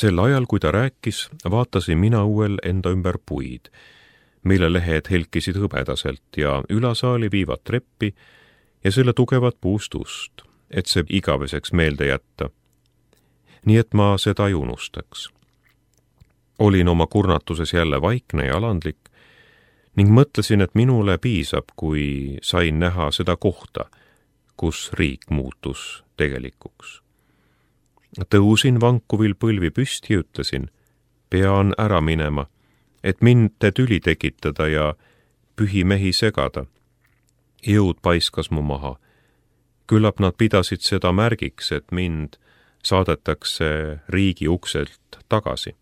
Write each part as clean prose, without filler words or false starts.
Sel ajal, kui ta rääkis, vaatasin mina õuel enda ümber puid, mille lehed helkisid hõbedaselt ja ülasaali viivad treppi ja selle tugevat puust ust, et see igaveseks meelde jätta. Nii et ma seda ei unustaks. Olin oma kurnatuses jälle vaikne ja alandlik ning mõtlesin, et minule piisab, kui sain näha seda kohta, kus riik muutus tegelikuks. Tõusin vankuvil põlvi püsti ja ütlesin, pean ära minema, et mind tüli tekitada ja pühimehi segada. Jõud paiskas mu maha. Küllap nad pidasid seda märgiks, et mind saadetakse riigi ukselt tagasi.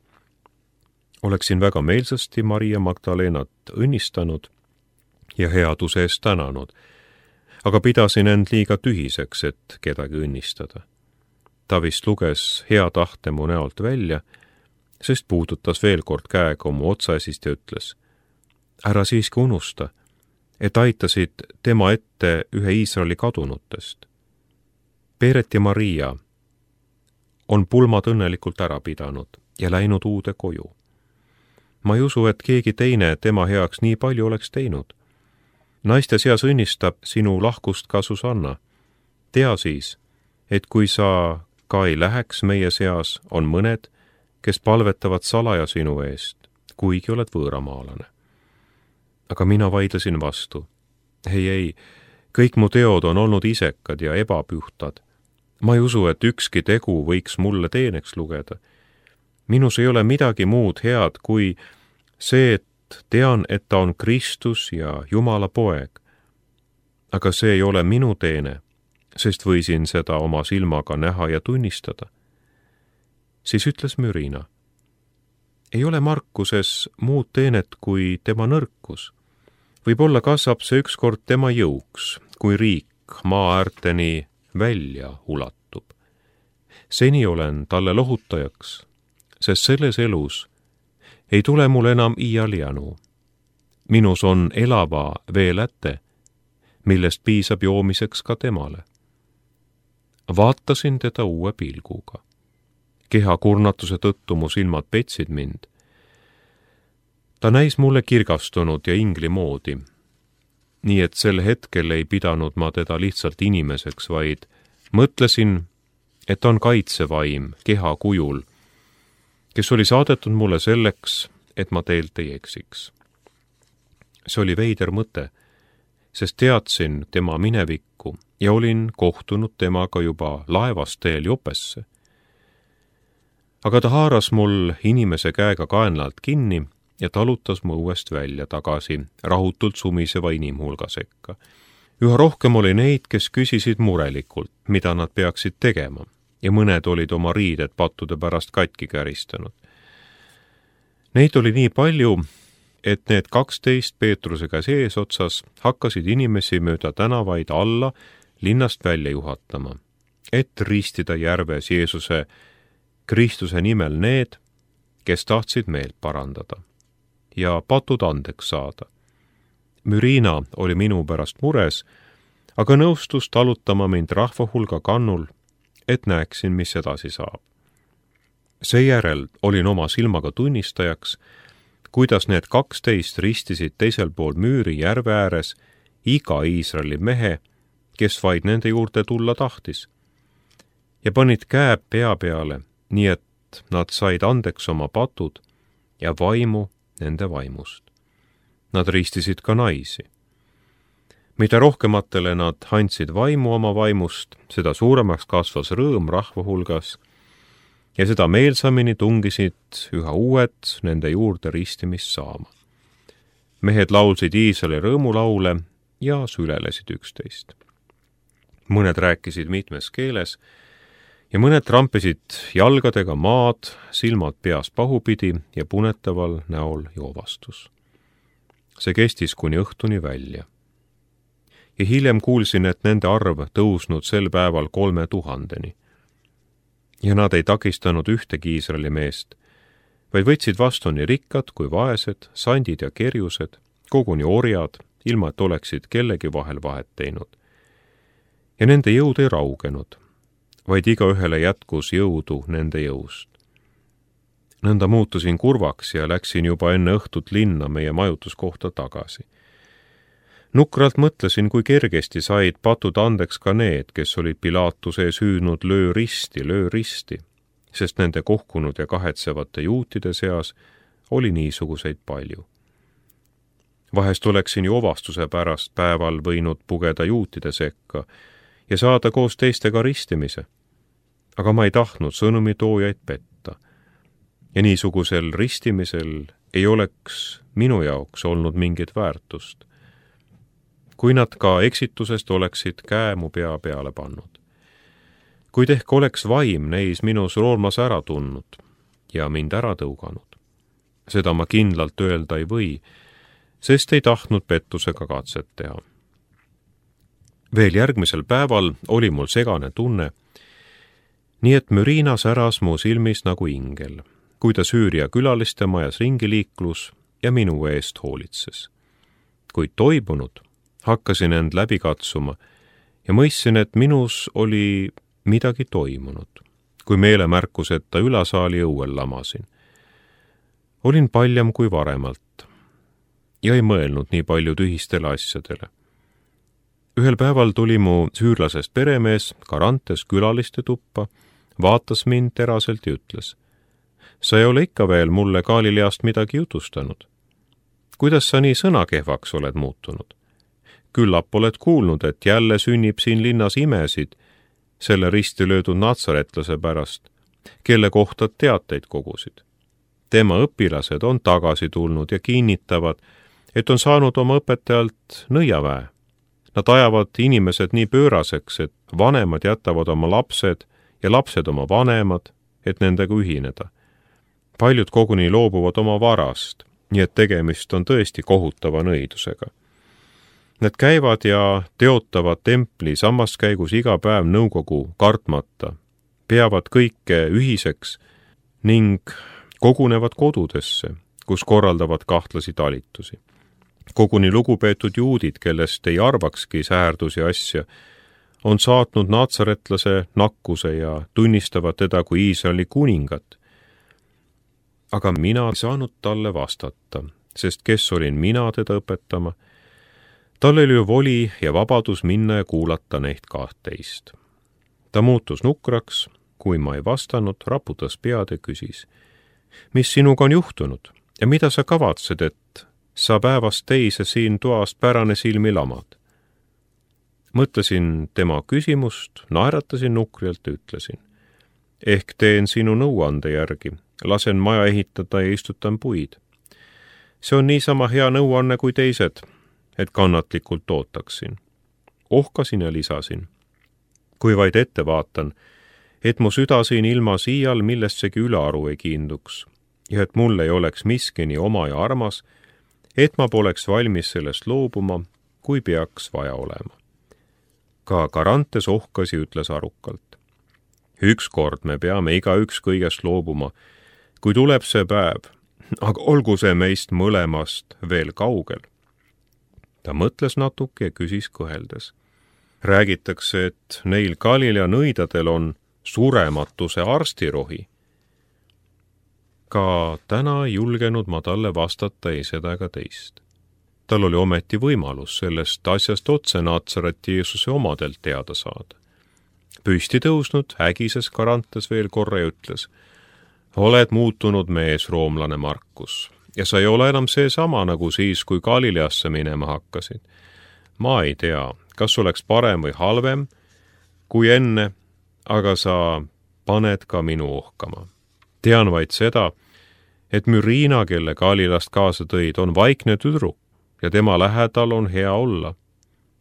Oleksin väga meelsasti Maria Magdalenat õnnistanud ja headuse eest tänanud, aga pidasin end liiga tühiseks, et kedagi õnnistada. Ta vist luges hea tahte mu näolt välja, sest puudutas veel kord käega mu otsaesist ja ütles, ära siiski unusta, et aitasid tema ette ühe Iisraeli kadunutest. Peeret ja Maria on pulmad õnnelikult ära pidanud ja läinud uude koju. Ma ei usu, et keegi teine tema heaks nii palju oleks teinud. Naiste seas õnnistab sinu lahkust ka Susanna. Tea siis, et kui sa ka ei läheks meie seas, on mõned, kes palvetavad salaja sinu eest, kuigi oled võõramaalane. Aga mina vaidlesin vastu. Ei, kõik mu teod on olnud isekad ja ebapühtad. Ma ei usu, et ükski tegu võiks mulle teeneks lugeda. Minus ei ole midagi muud head kui see, et tean, et ta on Kristus ja Jumala poeg. Aga see ei ole minu teene, sest võisin seda oma silmaga näha ja tunnistada. Siis ütles Mürina, ei ole Markuses muud teenet kui tema nõrkus. Võib-olla kasvab see ükskord tema jõuks, kui riik maa äärteni välja ulatub. Seni olen talle lohutajaks, sest selles elus ei tule mul enam iial janu. Minus on elava veeläte, millest piisab joomiseks ka temale. Vaatasin teda uue pilguga. Keha kurnatuse tõttu mu silmad petsid mind. Ta näis mulle kirgastunud ja ingli moodi, nii et sel hetkel ei pidanud ma teda lihtsalt inimeseks, vaid mõtlesin, et on kaitsevaim keha kujul, kes oli saadetud mulle selleks, et ma teelt ei eksiks. See oli veider mõte, sest teadsin tema minevikku ja olin kohtunud temaga juba laevast teel Jopesse. Aga ta haaras mul inimese käega kaenlalt kinni ja talutas mu õuest välja tagasi rahutult sumiseva inimhulga sekka. Üha rohkem oli neid, kes küsisid murelikult, mida nad peaksid tegema, ja mõned olid oma riided pattude pärast katki käristanud. Neid oli nii palju, et need 12 Peetruse käes eesotsas hakkasid inimesi mööda tänavaid alla linnast välja juhatama, et ristida järves Jeesuse Kristuse nimel need, kes tahtsid meelt parandada ja patud andeks saada. Mürina oli minu pärast mures, aga nõustus talutama mind rahvahulga kannul, et näeksin, mis edasi saab. Seejärel olin oma silmaga tunnistajaks, kuidas need 12 ristisid teisel pool müüri järve ääres iga Iisraeli mehe, kes vaid nende juurde tulla tahtis, ja panid käe pea peale, nii et nad said andeks oma patud ja vaimu nende vaimust. Nad ristisid ka naisi. Mida rohkematele nad andsid vaimu oma vaimust, seda suuremaks kasvas rõõm rahva hulgas ja seda meelsamini tungisid üha uued nende juurde ristimist saama. Mehed laulsid Iisraeli rõõmulaule ja sülelesid üksteist. Mõned rääkisid mitmes keeles ja mõned trampisid jalgadega maad, silmad peas pahupidi ja punetaval näol joovastus. See kestis kuni õhtuni välja. Ja hiljem kuulsin, et nende arv tõusnud sel päeval 3000-ni. Ja nad ei takistanud ühtegi Iisraeli meest, vaid võtsid vastu nii rikkad kui vaesed, sandid ja kerjused, koguni orjad, ilma et oleksid kellegi vahel vahet teinud. Ja nende jõud ei raugenud, vaid igaühele jätkus jõudu nende jõust. Nõnda muutusin kurvaks ja läksin juba enne õhtut linna meie majutuskohta tagasi. Nukralt mõtlesin, kui kergesti said patud andeks ka need, kes olid Pilatuse ees hüüdnud löö risti, sest nende kohkunud ja kahetsevate juutide seas oli niisuguseid palju. Vahest oleksin ju ovastuse pärast päeval võinud pugeda juutide sekka ja saada koos teistega ristimise, aga ma ei tahtnud sõnumitoojaid petta. Ja niisugusel ristimisel ei oleks minu jaoks olnud mingit väärtust, kui nad ka eksitusest oleksid käe mu pea peale pannud. Kuid ehk oleks vaim neis minus roolmas ära tundnud ja mind ära tõuganud. Seda ma kindlalt öelda ei või, sest ei tahtnud pettusega katset teha. Veel järgmisel päeval oli mul segane tunne, nii et Mürina säras mu silmis nagu ingel, kui ta Süüria külaliste majas ringi liiklus ja minu eest hoolitses. Kuid toibunud hakkasin end läbi katsuma ja mõistsin, et minus oli midagi toimunud, kui meelemärkuseta ülasaali õuel lamasin. Olin paljam kui varemalt ja ei mõelnud nii palju tühistele asjadele. Ühel päeval tuli mu süürlasest peremees Karantes külaliste tuppa, vaatas mind teraselt ja ütles: sa ei ole ikka veel mulle Galileast midagi jutustanud. Kuidas sa nii sõnakehvaks oled muutunud? Küllap oled kuulnud, et jälle sünnib siin linnas imesid selle risti löödud natsaretlase pärast, kelle kohta teateid kogusid. Tema õpilased on tagasi tulnud ja kinnitavad, et on saanud oma õpetajalt nõiaväe. Nad ajavad inimesed nii pööraseks, et vanemad jätavad oma lapsed ja lapsed oma vanemad, et nendega ühineda. Paljud koguni loobuvad oma varast, nii et tegemist on tõesti kohutava nõidusega. Nad käivad ja teotavad templi samas käigus iga päev nõukogu kartmata, peavad kõike ühiseks ning kogunevad kodudesse, kus korraldavad kahtlasi talitusi. Koguni lugupeetud juudid, kellest ei arvakski säärdusi asja, on saatnud natsaretlase nakkuse ja tunnistavad teda kui Iisraeli kuningat. Aga mina ei saanud talle vastata, sest kes olin mina teda õpetama? Tal oli ju voli ja vabadus minna ja kuulata neid 12. Ta muutus nukraks, kui ma ei vastanud, raputas pead ja küsis: mis sinuga on juhtunud ja mida sa kavatsed, et sa päevast teise siin toast pärane silmi lamad? Mõtlesin tema küsimust, naeratasin nukrjalt ja ütlesin: ehk teen sinu nõuande järgi, lasen maja ehitada ja istutan puid. See on niisama hea nõuanne kui teised, et kannatlikult ootaksin. Ohkasin ja lisasin: kui vaid ette vaatan, et mu süda siin ilmas iial millessegi ülearu ei kiinduks ja et mul ei oleks miski nii oma ja armas, et ma poleks valmis sellest loobuma, kui peaks vaja olema. Ka Karantes ohkas ja ütles arukalt: ükskord me peame igaüks kõigest loobuma, kui tuleb see päev, aga olgu see meist mõlemast veel kaugel. Ta mõtles natuke ja küsis kõheldes: räägitakse, et neil Galilea nõidadel on surematuse arstirohi. Ka täna ei julgenud ma talle vastata ei seda ega teist. Tal oli ometi võimalus sellest asjast otse Natsareti Jeesuse omadelt teada saada. Püsti tõusnud, ägises Karantes veel korra ja ütles: oled muutunud mees, roomlane Markus, ja sa ei ole enam seesama nagu siis, kui Galileasse minema hakkasid. Ma ei tea, kas oleks parem või halvem kui enne, aga sa paned ka minu ohkama. Tean vaid seda, et Mürina, kelle Galilast kaasa tõid, on vaikne tüdruk ja tema lähedal on hea olla.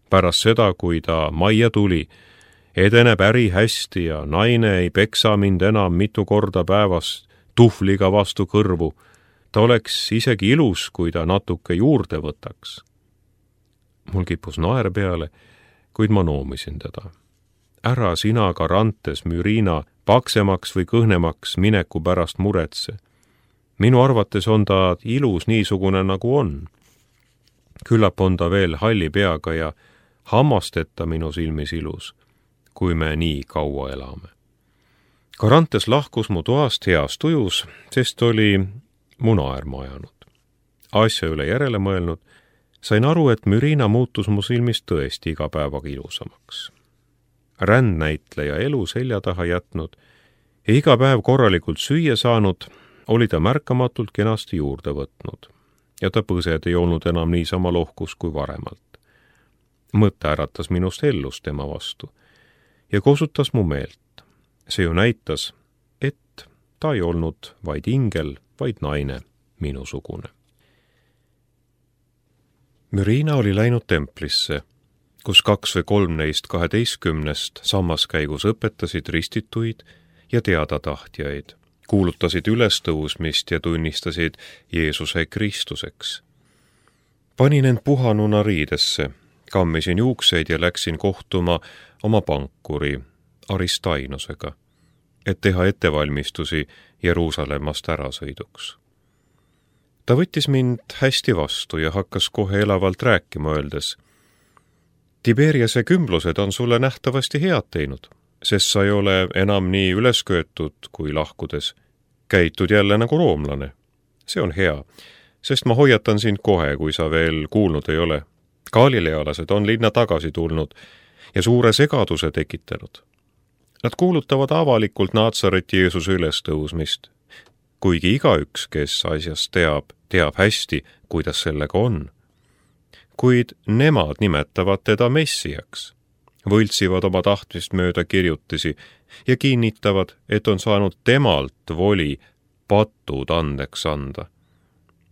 Pärast seda, kui ta majja tuli, edeneb äri hästi ja naine ei peksa mind enam mitu korda päevas tuhvliga vastu kõrvu. Ta oleks isegi ilus, kui ta natuke juurde võtaks. Mul kippus naer peale, kuid ma noomisin teda: ära sina, Karantes, Mürina, paksemaks või kõhnemaks mineku pärast muretse. Minu arvates on ta ilus niisugune, nagu on. Küllap on ta veel halli peaga ja hammasteta minu silmis ilus, kui me nii kaua elame. Karantes lahkus mu toast heas tujus, sest oli munaäärma ajanud. Asja üle järele mõelnud, sain aru, et mürina muutus mu silmis tõesti iga päevaga ilusamaks. Rändnäitleja elu selja taha jätnud ja iga päev korralikult süüa saanud, oli ta märkamatult kenasti juurde võtnud ja ta põsed ei olnud enam niisama lohkus kui varemalt. Mõte äratas minust ellust tema vastu ja kosutas mu meelt. See ju näitas, et ta ei olnud vaid ingel, vaid naine, minusugune. Mürina oli läinud templisse, kus 2 või 3 neist 12 sammaskäigus õpetasid ristituid ja teadatahtjaid, kuulutasid ülestõusmist ja tunnistasid Jeesuse Kristuseks. Panin end puhanuna riidesse, kammisin juukseid ja läksin kohtuma oma pankuri Aristainosega, et teha ettevalmistusi Jeruusalemmast ärasõiduks. Ta võttis mind hästi vastu ja hakkas kohe elavalt rääkima, öeldes: Tiberiase kümblused on sulle nähtavasti head teinud, sest sa ei ole enam nii ülesköetud kui lahkudes. Käitud jälle nagu roomlane. See on hea, sest ma hoiatan sind kohe, kui sa veel kuulnud ei ole. Galilealased on linna tagasi tulnud ja suure segaduse tekitanud. Nad kuulutavad avalikult Naatsareti Jeesuse ülestõusmist, kuigi igaüks, kes asjast teab hästi, kuidas sellega on. Kuid nemad nimetavad teda messiaks, võltsivad oma tahtmist mööda kirjutisi ja kinnitavad, et on saanud temalt voli patud andeks anda.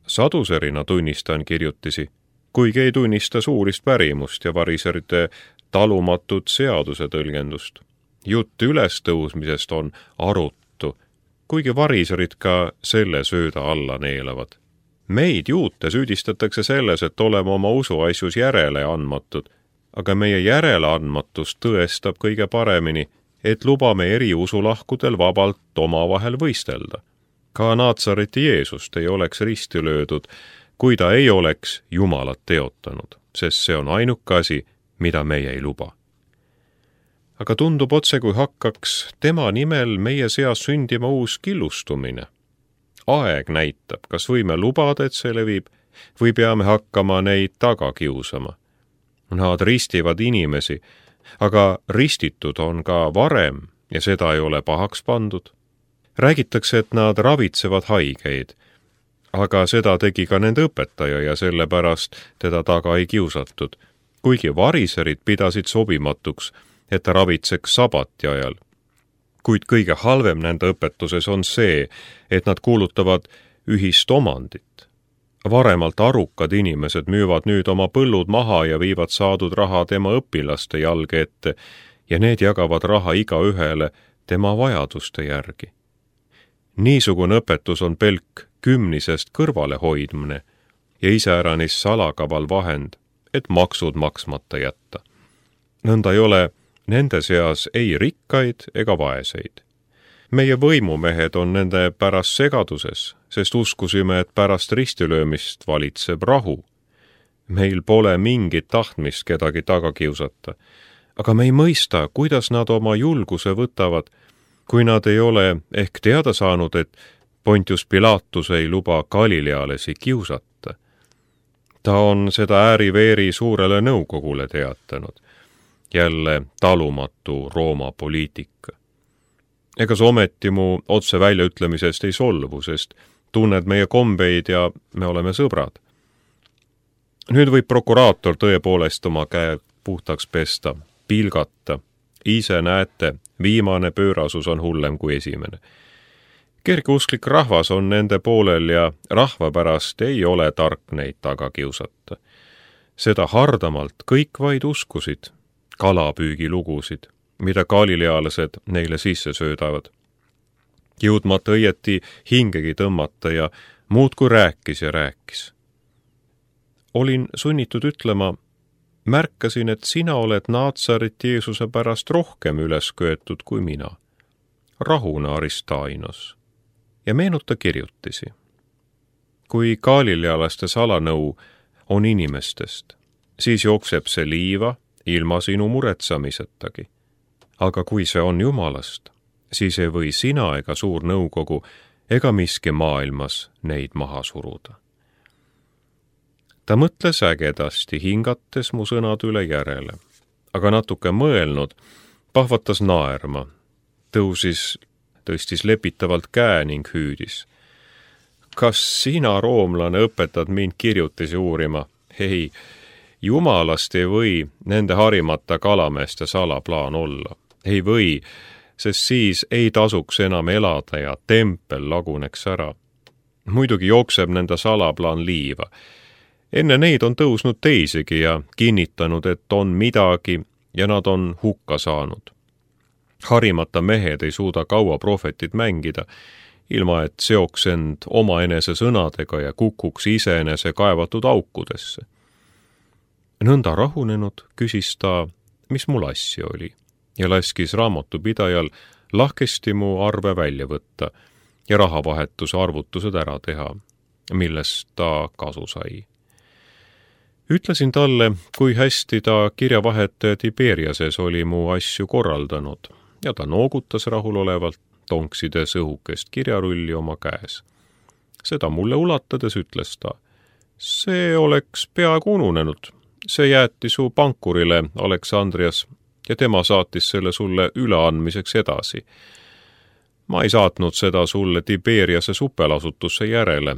Saduserina tunnistan kirjutisi, kuigi ei tunnista suurist pärimust ja variserite talumatut seaduse tõlgendust. Jutt ülestõusmisest on aruttu, kuigi variserid ka selle sööda alla neelavad. Meid juute süüdistatakse selles, et oleme oma usuasjus järele andmatud, aga meie järeleandmatus tõestab kõige paremini, et lubame eri usulahkudel vabalt omavahel võistelda. Ka Naatsareti Jeesust ei oleks risti löödud, kui ta ei oleks Jumalat teotanud, sest see on ainuke asi, mida meie ei luba. Aga tundub otse, kui hakkaks tema nimel meie seas sündima uus killustumine. Aeg näitab, kas võime lubada, et see levib, või peame hakkama neid taga kiusama. Nad ristivad inimesi, aga ristitud on ka varem ja seda ei ole pahaks pandud. Räägitakse, et nad ravitsevad haigeid, aga seda tegi ka nende õpetaja ja sellepärast teda taga ei kiusatud, kuigi variserid pidasid sobimatuks, et ta ravitseks sabati ajal. Kuid kõige halvem nende õpetuses on see, et nad kuulutavad ühist omandit. Varemalt arukad inimesed müüvad nüüd oma põllud maha ja viivad saadud raha tema õpilaste jalge ette ja need jagavad raha igaühele tema vajaduste järgi. Niisugune õpetus on pelk kümnisest kõrvale hoidmine ja iseäranis salakaval vahend, et maksud maksmata jätta. Nõnda ei ole nende seas ei rikkaid ega vaeseid. Meie võimumehed on nende pärast segaduses, sest uskusime, et pärast ristilöömist valitseb rahu. Meil pole mingit tahtmist kedagi taga kiusata, aga me ei mõista, kuidas nad oma julguse võtavad, kui nad ei ole ehk teada saanud, et Pontius Pilatus ei luba Galilealasi kiusata. Ta on seda ääri-veeri suurele nõukogule teatanud. Jälle talumatu Rooma poliitika. Ega see ometi mu otse väljaütlemisest ei solvu, sest tunned meie kombeid ja me oleme sõbrad. Nüüd võib prokuraator tõepoolest oma käe puhtaks pesta, pilgata. Ise näete, viimane pöörasus on hullem kui esimene. Kergeusklik rahvas on nende poolel ja rahva pärast ei ole tark neid taga kiusata. Seda hardamalt kõik vaid uskusid, kalapüügilugusid, mida galilealased neile sisse söödavad. Jõudmata õieti hingegi tõmmata ja muudkui rääkis ja rääkis. Olin sunnitud ütlema, märkasin, et sina oled Naatsareti Jeesuse pärast rohkem üles köetud kui mina. Rahuna Aristainos. Ja meenuta kirjutisi. Kui galilealaste salanõu on inimestest, siis jookseb see liiva ilma sinu muretsamisetagi. Aga kui see on Jumalast, siis ei või sina ega suur nõukogu ega miski maailmas neid maha suruda. Ta mõtles ägedasti, hingates mu sõnad üle järele, aga natuke mõelnud, pahvatas naerma, tõstis lepitavalt käe ning hüüdis. Kas sina, roomlane, õpetad mind kirjutisi uurima? Ei, jumalast ei või nende harimata kalameeste salaplaan olla. Ei või, sest siis ei tasuks enam elada ja tempel laguneks ära. Muidugi jookseb nende salaplaan liiva. Enne neid on tõusnud teisigi ja kinnitanud, et on midagi ja nad on hukka saanud. Harimata mehed ei suuda kaua prohvetit mängida, ilma et seoks end omaenese sõnadega ja kukuks iseenese kaevatud aukudesse. Nõnda rahunenud küsis ta, mis mul asja oli, ja laskis raamatupidajal lahkesti mu arve välja võtta ja rahavahetuse arvutused ära teha, millest ta kasu sai. Ütlesin talle, kui hästi ta kirjavahetaja Tiberiases oli mu asju korraldanud ja ta noogutas rahulolevalt, tonksides õhukest kirjarulli oma käes. Seda mulle ulatades ütles ta, see oleks peaaegu ununenud. See jäeti su pankurile, Aleksandrias, ja tema saatis selle sulle üleandmiseks edasi. Ma ei saatnud seda sulle Tiberiase supelasutusse järele,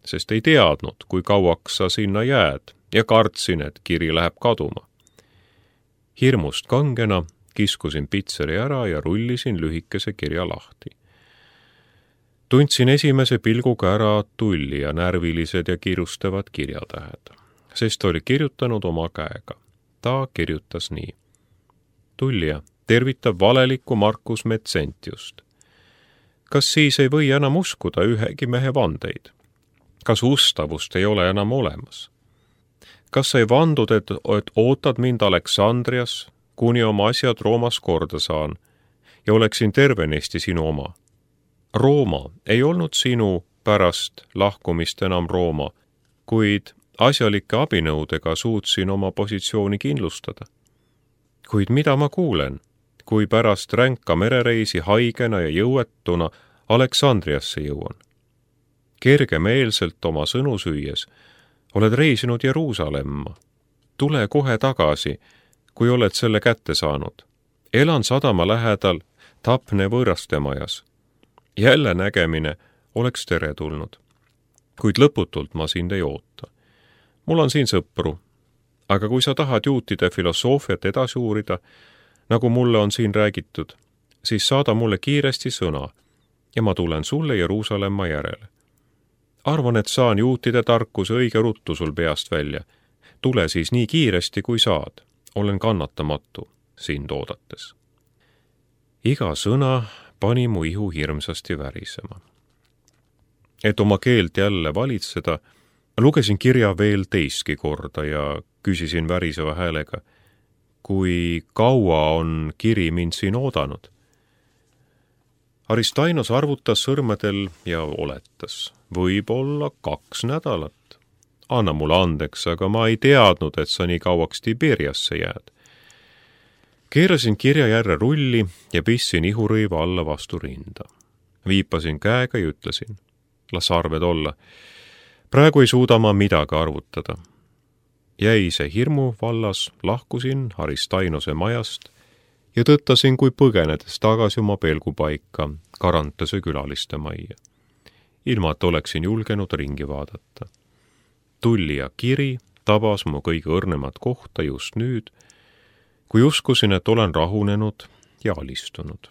sest ei teadnud, kui kauaks sa sinna jääd ja kartsin, et kiri läheb kaduma. Hirmust kangena kiskusin pitseri ära ja rullisin lühikese kirja lahti. Tundsin esimese pilguga ära tulli ja närvilised ja kirustavad kirjatähed, sest oli kirjutanud oma käega. Ta kirjutas nii. Tullija tervitab valelikku Marcus Metsentiust. Kas siis ei või enam uskuda ühegi mehe vandeid? Kas ustavust ei ole enam olemas? Kas ei vandud, et ootad mind Aleksandrias, kuni oma asjad Roomas korda saan ja oleksin tervenisti sinu oma? Rooma ei olnud sinu pärast lahkumist enam Rooma, kuid asjalike abinõudega suutsin oma positsiooni kindlustada. Kuid mida ma kuulen, kui pärast ränka merereisi haigena ja jõuetuna Aleksandriasse jõuan? Kergemeelselt oma sõnu süües oled reisinud Jeruusalemma. Tule kohe tagasi, kui oled selle kätte saanud. Elan sadama lähedal Tapne võõrastemajas. Jälle nägemine oleks teretulnud. Kuid lõputult ma sind ei oota. Mul on siin sõpru, aga kui sa tahad juutide filosoofiat edasi uurida, nagu mulle on siin räägitud, siis saada mulle kiiresti sõna ja ma tulen sulle Jeruusalemma järele. Arvan, et saan juutide tarkuse õige ruttu sul peast välja. Tule siis nii kiiresti, kui saad. Olen kannatamatu sind oodates. Iga sõna pani mu ihu hirmsasti värisema. Et oma keelt jälle valitseda, lugesin kirja veel teistki korda ja küsisin väriseva häälega, kui kaua on kiri mind siin oodanud. Aristainos arvutas sõrmedel ja oletas, võib-olla 2 nädalat. Anna mulle andeks, aga ma ei teadnud, et sa nii kauaks Tiberiasse jääd. Keerasin kirja järre rulli ja pissin ihurõiva alla vastu rinda. Viipasin käega ja ütlesin, las arved olla. Praegu ei suuda ma midagi arvutada. Jäi see hirmu vallas, lahkusin Aristainose majast ja tõttasin kui põgenedes tagasi oma pelgupaika Karantase külaliste majja. Ilma, et oleksin julgenud ringi vaadata. Tullija kiri tabas mu kõige õrnemat kohta just nüüd, kui uskusin, et olen rahunenud ja alistunud.